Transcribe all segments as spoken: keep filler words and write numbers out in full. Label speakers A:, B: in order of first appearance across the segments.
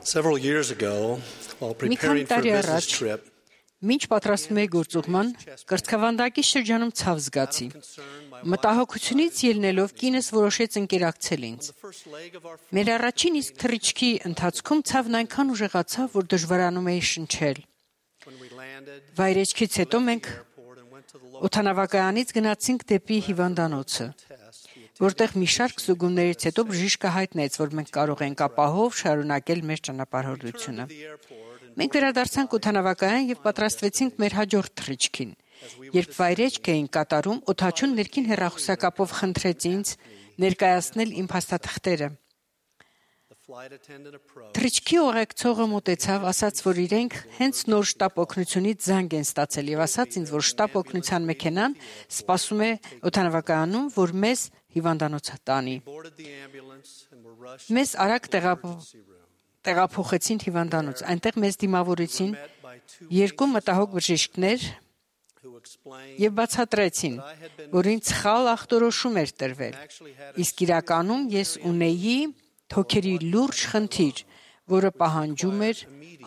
A: Several years ago, while preparing for a business trip,
B: Մինչ պատրաստվում էի գործուղման, կրծքավանդակի շրջանում ցավ զգացի։ Մտահոգությունից ելնելով կինս որոշեց ընկերակցել ինձ։ Մեր առաջին իսկ թռիչքի ընթացքում ցավն այնքան ուժեղացավ, որ դժվարանում էի շնչել։ Վայրեջքից հետո մենք օդանավակայանից գնացինք դեպի հիվանդանոցը, որտեղ մի շարք զուգումներից հետո բժիշկը հայտնեց, որ մենք կարող ենք ապահով շարունակել մեր ճանապարհորդությունը։ Մենք վերադարձանք օդանավակայան եւ պատրաստվեցինք մեր հաջորդ թռիչքին։ Երբ վայրեջք էինք կատարում, օդաչուն ներքին հեռախոսակապով խնդրեց ինձ ներկայացնել իմ փաստաթղթերը։ Թռիչքի ուղեկցողը մոտեցավ, ասաց, որ իրենք հենց նոր շտապ օգնությունից զանգ են ստացել եւ ասաց ինձ, որ շտապ օգնության մեքենան սպասում է օդանավակայանում, որ մեզ հիվանդանոց տանի։ Մեզ արագ տեղափոխեցին հիվանդանոց։ Այնտեղ մեզ դիմավորեցին երկու մտահոգ բժիշկներ եւ բացատրեցին, որ ինձ սխալ ախտորոշում էր տրվել։ Իսկ իրականում ես ունեի թոքերի լուրջ խնդիր, որը պահանջում էր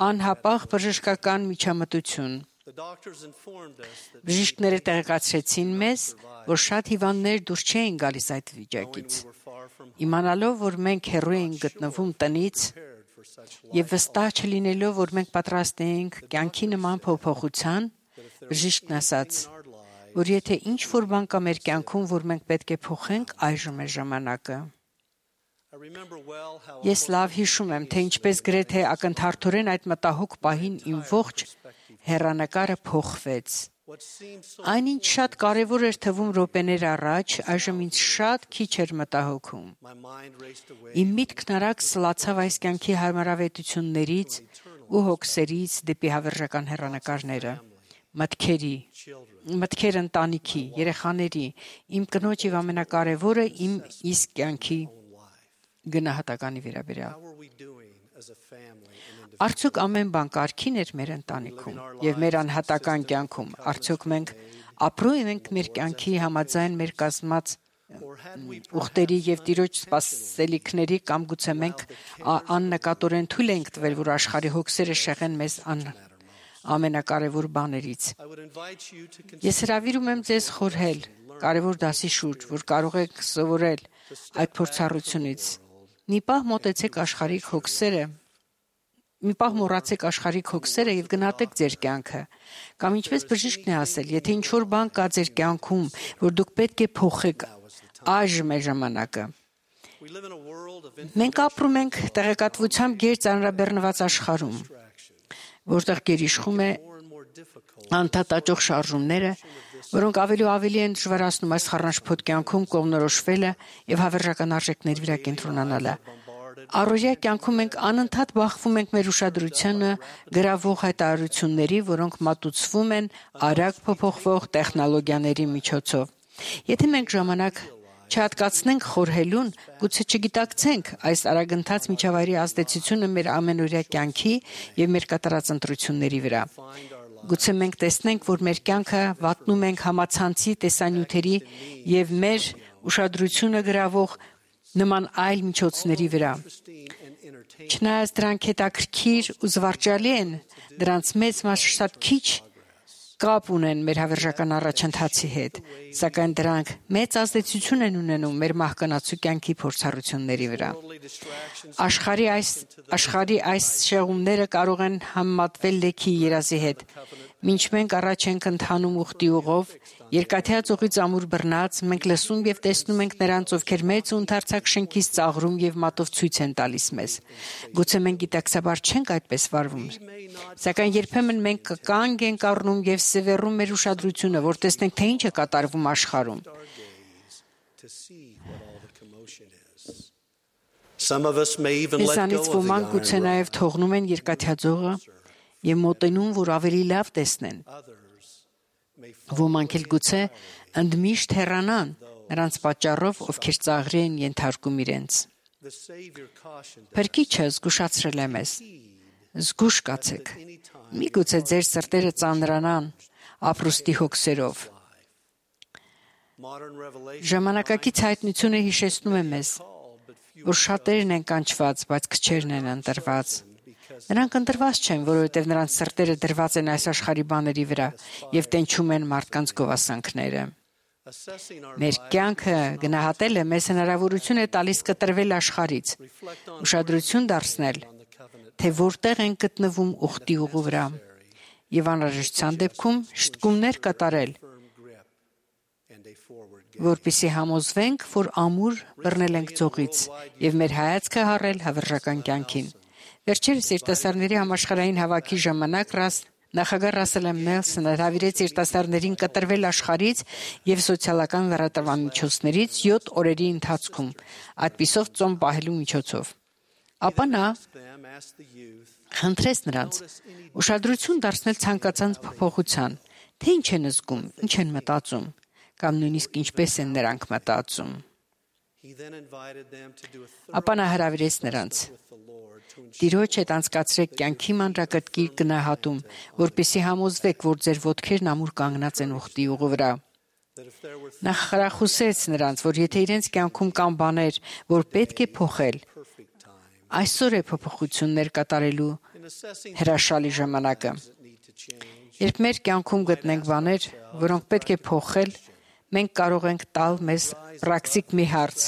B: անհապաղ բժշկական միջամտություն։ Բժիշկները տեղեկացրեցին մեզ, որ շատ հիվանդներ դուրս չէին գալիս այդ վիճակից։ Իմանալով, որ մենք հեռու էինք գտնվում տնից եւ վստահ չլինելով, որ մենք պատրաստ էինք կյանքի նման փոփոխության, բժիշկն ասաց, որ եթե ինչ-որ բան կա մեր կյանքում, որ մենք պետք է փոխենք, այժմ է ժամանակը։ Ես լավ հիշում եմ, թե ինչպես գրեթե ակնթարթորեն այդ մտահոգ պահին իմ ողջ հեռանկարը փոխվեց։ Այնինչ շատ կարևոր էր թվում րոպեներ առաջ, այժմ ինձ շատ քիչ էր մտահոգում։ Իմ միտքն արագ սլացավ այս կյանքի հարմարավետություններից ու հոգսերից դեպի հավերժական հեռանկարները, մտքերի, մտքեր ընտանիքի, երեխաների, իմ կնոջ եւ ամենակարևորը իմ իսկ կյանքի գնահատականի վերաբերյալ։ Արդյոք ամեն բան կարգին էր մեր ընտանիքում եւ մեր անհատական կյանքում։ Արդյոք մենք ապրում ենք մեր կյանքի համաձայն մեր կազմած ուխտերի եւ Տիրոջ սպասելիքների կամ գուցե մենք աննկատորեն թույլ ենք տվել, որ աշխարհի հոգսերը շեղեն մեզ ամենակարևոր բաներից։ Ես հրավիրում եմ ձեզ խորհել կարևոր դասի շուրջ, որ կարող եք սովորել այդ փորձառությունից։ Մի պահ մոտեցեք աշխարհիկ հոգսերը, մի պահ մոռացեք աշխարհիկ հոգսերը եւ գնահատեք ձեր կյանքը։ Կամ ինչպես բժիշկն է ասել, եթե ինչ-որ բան կա ձեր կյանքում, որ դուք պետք է փոխեք, այժմ է ժամանակը։ Մենք ապրում ենք տեղեկատվությամբ գերծանրաբեռնված աշխարհում, որտեղ գերիշխում է անդադաճող շարժումները, որոնք ավելի ու ավելի են դժվարացնում այս խառնաշփոթ կյանքում կողմնորոշվելը եւ հավերժական արժեքների վրա կենտրոնանալը։ Առօրյա կյանքում մենք անընդհատ բախվում ենք մեր ուշադրությունը գրավող հայտարարությունների, որոնք մատուցվում են արագ փոփոխվող տեխնոլոգիաների միջոցով։ Եթե մենք ժամանակ չհատկացնենք խորհելուն, գուցե չգիտակցենք այս արագընթաց միջավայրի ազդեցությունը մեր ամենօրյա կյանքի եւ մեր կատարած ընտրությունների վրա։ Գուցե մենք տեսնենք, որ մեր կյանքը վատնում ենք համացանցի տեսանյութերի եւ մեր ուշադրությունը գրավող նման այլ միջոցների վրա։ Չնայած դրանք հետաքրքիր ու զվարճալի են, դրանց մեծ մասը շատ քիչ կապ ունեն մեր հավերժական առաջընթացի հետ, սակայն դրանք մեծ ազդեցություն են ունենում մեր մահկանացու կյանքի փորձառությունների վրա։ Աշխարհի այս աշխարհի այս շեղումները կարող են համեմատվել լեքի երազի հետ։ Մինչ մենք առաջ ենք ընթանում ուխտի ուղով, երկաթյա ծովից ամուր բռնած, մենք լսում եւ տեսնում ենք նրանց, ովքեր մեծ ու ընդարձակ շենքից ծաղրում եւ մատով ցույց են տալիս մեզ։ Գուցե մենք գիտակցաբար չենք այդպես վարվում, սակայն երբեմն մենք կանգ ենք առնում եւ սևեռում մեր ուշադրությունը, որ տեսնենք, թե ինչ է կատարվում աշխարհում։ Մեզանից ոմանք գուցե նաեւ թողնում են երկաթյա ծովը եւ մոտենում, որ ավելի լավ տեսնեն։ Ոմանք էլ գուցե ընդմիշտ հեռանան նրանց պատճառով, ովքեր ծաղրի են ենթարկում իրենց։ Փրկիչը զգուշացրել է մեզ. զգուշ կացեք, միգուցե ձեր սրտերը ծանրանան ապրուստի հոգսերով։ Ժամանակակից հայտնությունը հիշեցնում է մեզ, որ շատերն են կանչված, բայց քչերն են ընտրված։ Նրանք ընտրված չեն, որովհետև նրանց սրտերը դրված են այս աշխարհի բաների վրա եւ տենչում են մարդկանց գովասանքները։ Մեր կյանքը գնահատելը մեզ հնարավորություն է տալիս կտրվել աշխարհից, ուշադրություն դարձնել, թե որտեղ են գտնվում ուխտի ուղու վրա, եւ անհրաժեշտության դեպքում շտկումներ կատարել, որպեսզի համոզվենք, որ ամուր բռնել ենք ձողից եւ մեր հայացքը հառել հավերժական կյանքին։ Վերջերս երիտասարդների համաշխարհային հավաքի ժամանակ նախագահ Ռասել Էմ. Նելսոնը հրավիրեց երիտասարդներին կտրվել աշխարհից եւ սոցիալական լրատվամիջոցներից յոթ օրերի ընթացքում, այդպիսով ծոմ պահելու միջոցով։ Ապա նա խնդրեց նրանց ուշադրություն դարձնել ցանկացած փոփոխության, թե ինչ են զգում, ինչ են մտածում, կամ նույնիսկ ինչպես են նրանք մտածում։ Ապա նա հրավիրեց նրանց. Տիրոջ հետ անցկացրեք կյանքի մանրակրկիր գնահատում, որպեսզի համոզվեք, որ ձեր ոտքերն ամուր կանգնած են ուխտի ուղու վրա։ Նա խրախուսեց նրանց, որ եթե իրենց կյանքում կան բաներ, որ պետք է փոխել, այսօր է փոփոխություններ կատարելու հրաշալի ժամանակը։ Երբ մեր կյանքում գտնենք բաներ, որոնք պետք է փոխել, մենք կարող ենք տալ մեզ պրակտիկ մի հարց.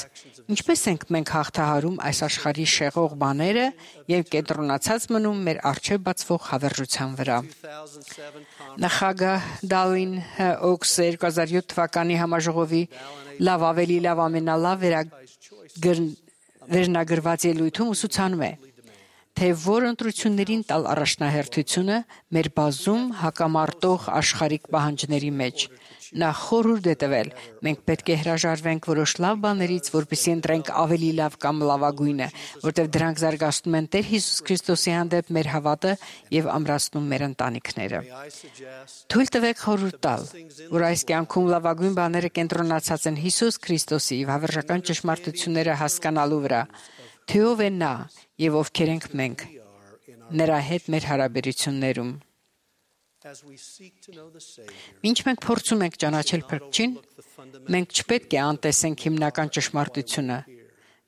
B: ինչպես ենք մենք հաղթահարում այս աշխարհի շեղող բաները եւ կենտրոնացած մնում մեր առջեւ բացվող հավերժության վրա։ Նախագահ Դալին Օքս երկու հազար յոթ թվականի համաժողովի լավ ավելի լավ ամենալավ վերնագրված ելույթում ուսուցանում է, թե որ ընտրություններին տալ առաջնահերթությունը մեր բազում հակամարտող աշխարհիկ պահանջների մեջ։ Նա խորհուրդ է տվել. մենք պետք է հրաժարվենք որոշ լավ բաներից, որպեսզի ընտրենք ավելի լավ կամ լավագույնը, որտեղ դրանք զարգացնում են Տեր Հիսուս Քրիստոսի հանդեպ մեր հավատը եւ ամրացնում մեր ընտանիքները։ Թույլ տվեք խորհուրդ տալ, որ այս կյանքում լավագույն բաները կենտրոնացած են Հիսուս Քրիստոսի եւ հավերժական ճշմարտությունները հասկանալու վրա, թե ով է նա եւ ովքեր ենք մենք նրա հետ մեր հարաբերություններում։ Ինչ մենք փորձում ենք ճանաչել Փրկչին, մենք չպետք է անտեսենք հիմնական ճշմարտությունը,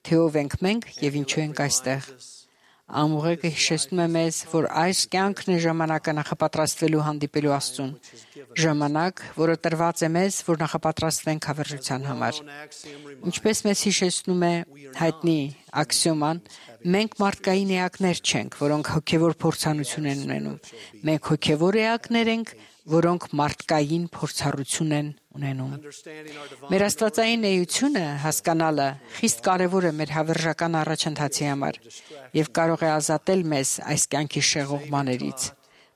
B: թե ով ենք մենք եւ ինչու ենք այստեղ։ Ամուղեկը հիշեցնում է մեզ, որ այս կյանքն է ժամանակը նախապատրաստվելու հանդիպելու Աստծուն, ժամանակ, որը տրված է մեզ, որ նախապատրաստվենք հավերժության համար։ Ինչպես մեզ հիշեցնում է հայտնի աքսիոման, մենք մարդկային էակներ չենք, որոնք հոգևոր փորձառություն են ունենում։ Մենք հոգևոր էակներ ենք, որոնք մարդկային փորձառություն են ունենում։ Մեր աստվածային էությունը հասկանալը խիստ կարևոր է մեր հավերժական առաջընթացի համար եւ կարող է ազատել մեզ այս կյանքի շեղող բաներից։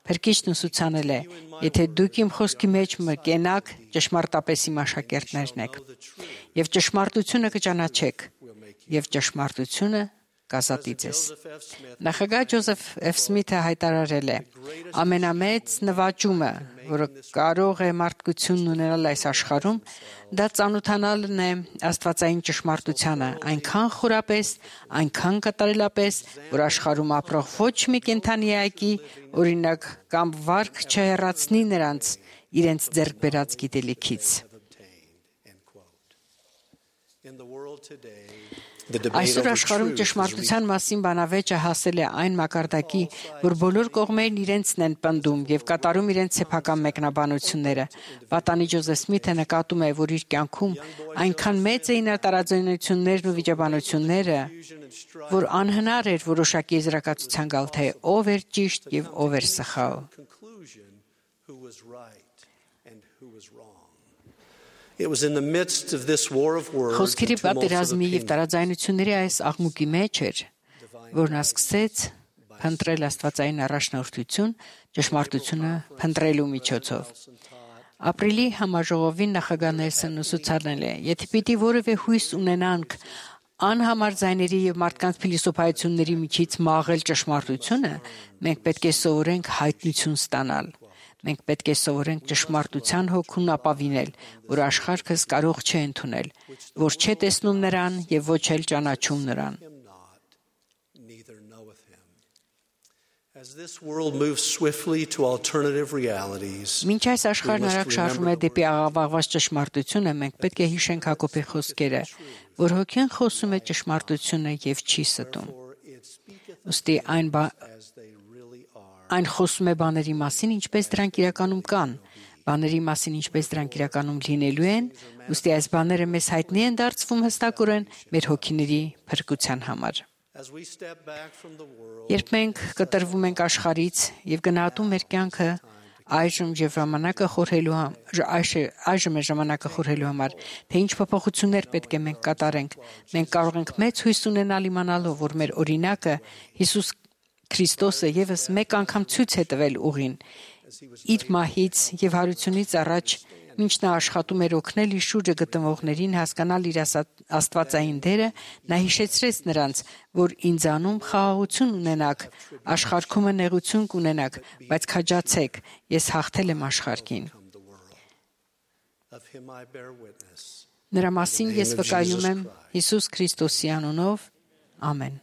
B: Փրկիչն ուսուցանել է. եթե դուք իմ խոսքի մեջ մկենաք, ճշմարտապես իմ աշակերտներն եք, եւ ճշմարտությունը կճանաչեք, եւ ճշմարտությունը կազատի ձեզ։ Նախագահ Ջոզեֆ Էֆ. Սմիթը հայտարարել է. ամենամեծ նվաճումը, որը կարող է մարդկությունն ունենալ այս աշխարհում, դա ծանոթանալն է աստվածային ճշմարտությանը, այնքան խորապես, այնքան կատարելապես, որ աշխարհում ապրող ոչ մի կենդանի այգի, օրինակ, կամ վարք չհեռացնի նրանց իրենց ձեռք բերած գիտելիքից։ Այսօր աշխարհում ճշմարտության մասին բանավեճը հասել է այն մակարդակի, որ բոլոր կողմերն իրենցն են պնդում եւ կատարում իրենց սեփական մեկնաբանությունները։ Պատանի Ջոզեֆ Սմիթը նկատում է, որ իր կյանքում այնքան մեծ էին տարաձայնություններն ու վիճաբանությունները, որ անհնար էր որոշակի եզրակացության գալ, թե ով էր ճիշտ եւ ով էր սխալ։ Խոսքերի պատերազմի եւ տարաձայնությունների այս աղմուկի մեջ էր, որ նա սկսեց փնտրել աստվածային առաջնորդություն ճշմարտությունը փնտրելու միջոցով։ Ապրիլի համաժողովին նախագահ Նելսոնն ուսուցանել է. եթե պիտի որևէ հույս ունենանք անհամար ձայների եւ մարդկանց փիլիսոփայությունների միջից մաղել ճշմարտությունը, մենք պետք է սովորենք հայտնություն ստանալ։ Մենք պետք է սովորենք ճշմարտության հոգուն ապավինել, որ աշխարհս կարող չէ ընդունել, որ չէ տեսնում նրան եւ ոչ էլ ճանաչում նրան։ Մինչ այս աշխարհն արագ շարժվում է դեպի աղավաղված ճշմարտությունը, մենք պետք է հիշենք Հակոբի խոսքերը, որ հոգին խոսում է ճշմարտությունը եւ չի ստում։ Ոստի այն այն խոսում է բաների մասին, ինչպես դրանք իրականում կան, բաների մասին, ինչպես դրանք իրականում լինելու են, ոստի այս բաները մեզ հայտնի են դարձվում հստակորեն մեր հոգիների փրկության համար։ Երբ մենք կտրվում ենք աշխարհից եւ գնահատում մեր կյանքը, այժմ եւ ժամանակը խորհելու համար, այժմ է ժամանակը խորհելու համար, թե ինչ փոփոխություններ պետք է մենք կատարենք, մենք կարող ենք մեծ հույս ունենալ իմանալով, որ մեր օրինակը Հիսուս Քրիստոսը եւս մեկ անգամ ցույց է տվել ուղին, իր մահից եւ հարությունից առաջ, մինչ նա աշխատում էր օգնել իր շուրջը գտնվողներին հասկանալ իր աստվածային դերը, նա հիշեցրեց նրանց, որ ինձանում խաղաղություն ունենաք, աշխարհքումը նեղություն կունենաք, բայց քաջացեք, ես հաղթել եմ աշխարհին։ Նրա մասին ես վկայում եմ Հիսուս Քրիստոսի անունով, ամեն։